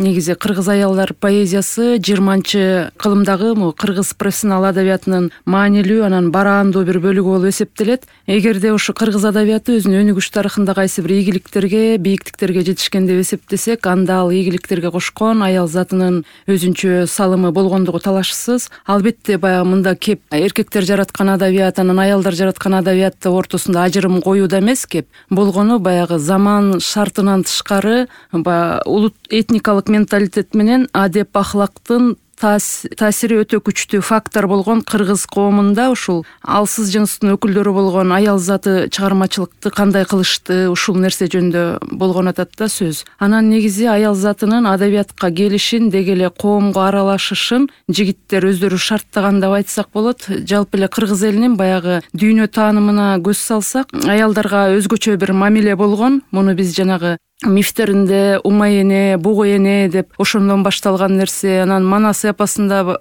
негизи кыргыз аялдар поэзиясы 20-кылымдагы кыргыз профессионал адабиятынын маанилүү, анан бараандуу бир бөлүгү болуп эсептелет. Эгерде ушу кыргыз адабияты өзүнүн өнүгүш тарыхында кайсы бир ийгиликтерге, бийиктиктерге жетишкен деп эсептесек, анда ал ийгиликтерге кошкон аял затынын өзүнчө салымы болгондугу талашсыз. Албетте баягы мында кеп эркектер жараткан адабият, анан аялдар жараткан адабиятты ортосунда ажырым коюуда эмес кеп. Болгону баягы заман шартынан тышкары улут этникалык менталитет менен адеп ахлактын таасири өтө күчтүү фактор болгон кыргыз коомунда ушул алсыз жыныстын өкүлдөрү болгон аял заты чыгармачылыкты кандай кылышты, ушул нерсе жөнүндө болгон атат да сөз. Анан негизи аял затынын адабиятка келишин, деги эле коомго аралашышын жигиттер өздөрү шарттаган деп айтсак болот. Жалпы эле кыргыз элинин баягы дүйнө таанымына көз салсак, аялдарга өзгөчө бир мамиле болгон. Муну биз жанагы мифтеринде умай эне, бугу эне деп ошондон башталган нерсе. Анан Манас эпосунда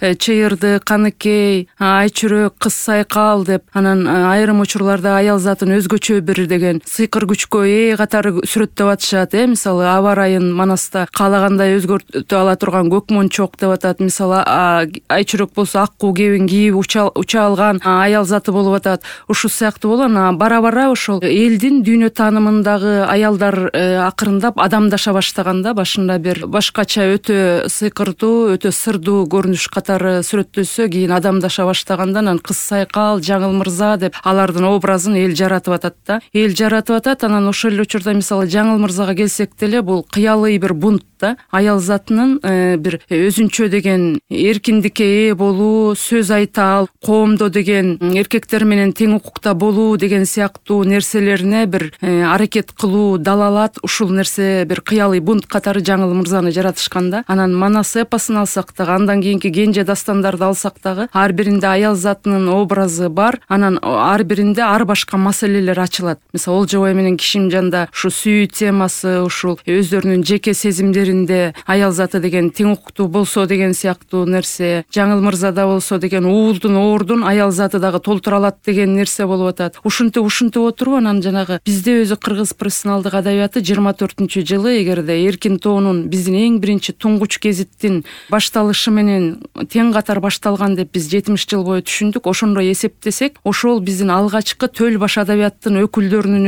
чыйырды, каныкей, айчүрөк, кыз сайкал деп, анан айрым учурларда аял затын өзгөчө бир деген сыйкыр күчкө катары сүрөттөп атышат. Мисалы аба ырайын Манаста каалагандай өзгөртө ала турган көк мончок деп атат. Мисалы айчүрөк болсо аккуу кебин кийип уча алган аял заты болуп атат. Ушул сыяктуу болгон. Бара ошол элдин дүйнө таанымындагы аялдар акырындап адамдаша баштаганда, башында бир башкача өтө сыйкырдуу, өтө сырдуу көрүнүш катары сүрөттөлсө, кийин адамдаша баштаганда анан кыз сайкал, жаңыл мырза деп алардын образын эл жаратып атат да. Эл жаратып атат. Анан ошол эле учурда мисалы жаңыл мырзага келсек деле, бул кыялый бир бунт да. Аял затынын бир өзүнчө деген эркиндикке ээ болуу, сөз айта ал, коомдо деген эркектер менен тең укукта болуу деген сыяктуу нерселерине бир аракет кылуу, далалат, ушул нерсе бир кыялый бунт катары жаңыл мырзаны жаратышкан да. Анан Манас эпосун алсак дагы, андан кийинки Кенже дастандарды алсак дагы, ар биринде аял затынын образы бар. Анан ар биринде ар башка маселелер ачылат. Мисалы Олжобай менен Кишимжанда ушу сүйүү темасы, ушул өздөрүнүн жеке сезимдеринде аял заты деген тең укуктуу болсо деген сыяктуу нерсе. Жаңыл мырзада болсо деген уулдун оордун аял заты дагы толтура алат деген нерсе болуп атат. Ушинтип отуруп анан жанагы бизде өзү кыргыз профессионалдык адабияты 24-жылы эгерде Эркин тоонун биздин эң биринчи туңгуч гезиттин башталышы менен тең катар башталган деп биз 70 жыл бою түшүндүк. Ошондой эсептесек, ошол биздин алгачкы төл баш адабияттын өкүлдөрүнүн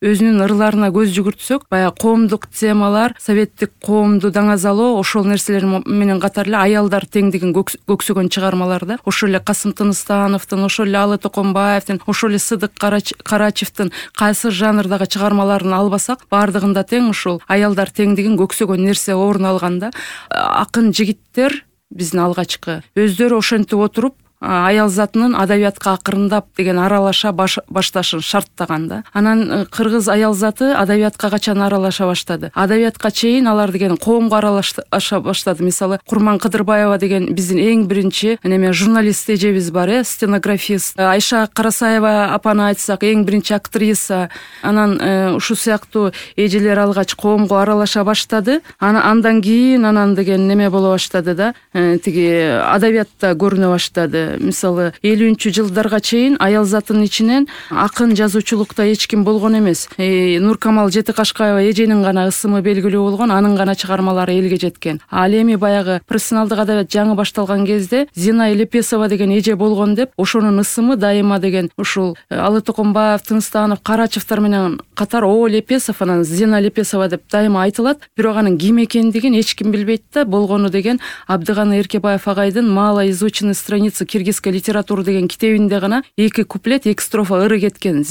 өзүнүн ырларына көз жүгүртсөк, баягы коомдук темалар, советтик коомду даңазалоо, ошол нерселер менен катар эле аялдар теңдигин көксөгөн чыгармаларда, ошол эле Касым Тыныстановдун, ошол эле Алы Токонбаевдин, ошол эле Сыдык Карачевдин кайсы жанрдагы чыгармаларын албасак, баардыгында тең ушул аялдар теңдигин көксөгөн нерсе орун алган да. Акын жигиттер биздин алгачкы өздөрү ошентип отуруп аял затынын адабиятка акырындап деген аралаша башташын шарттаган да. Анан кыргыз аял заты адабиятка качан аралаша баштады? Адабиятка чейин алар деген коомго аралаша баштады. Мисалы Курман Кыдырбаева деген биздин эң биринчи журналист эжебиз бар, стенографист. Айша Карасаева апаны айтсак, эң биринчи актриса. Анан ушул сыяктуу эжелер алгач коомго аралаша баштады. Андан кийин деген неме боло баштады да. Тиги адабиятта көрүнө баштады. Мисалы 50-жылдарга чейин аял затынын ичинен акын жазуучулукта эч ким болгон эмес. Нуркамал Жетикашкаева эженин гана ысымы белгилүү болгон, анын гана чыгармалары элге жеткен. Ал эми баягы профессионалдык адабият жаңы башталган кезде Зина Лепесова деген эже болгон деп, ошонун ысымы дайыма деген ушул Алы Токонбаев, Тыныстанов, Карачевтар менен катар Лепесов, анан Зина Лепесова деп дайыма айтылат. Бирок анын ким экендигин эч ким билбейт да. Болгону деген Абдыганы Эркебаев агайдын «Мало изученные страницы киргизской литературы» деген китебинде гана 2 куплет, 2 строфа ыры кеткен.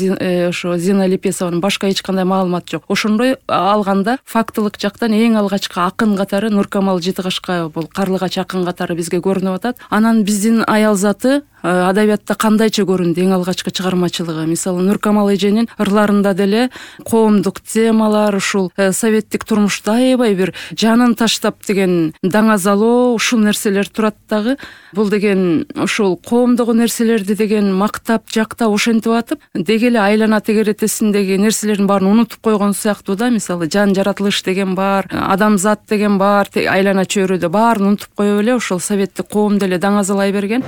Ошо Зина Лепесованын башка эч кандай маалымат жок. Ошондой алганда фактылык жактан эң алгачкы акын катары Нуркамал Жетикашкаева, бул карлыгач акын катары бизге көрүнүп атат. Анан биздин аял заты адабиятта кандайча көрүндү эң алгачкы чыгармачылыгы? Мисалы Нуркамал эженин ырларында деле коомдук темалар, ушул советтик турмушта аябай бир жанын таштап деген даңазалоо, ушул нерселер турат дагы. Бул деген ушул коомдогу нерселерди деген мактап, жактап ошентип атып, деги эле айлана тегеретесиндеги нерселердин баарын унутуп койгон сыяктуу да. Мисалы жан жаратылыш деген бар, адамзат деген бар, айлана чөйрөдө баарын унутуп коюп эле ошол советтик коомду эле даңазалай берген.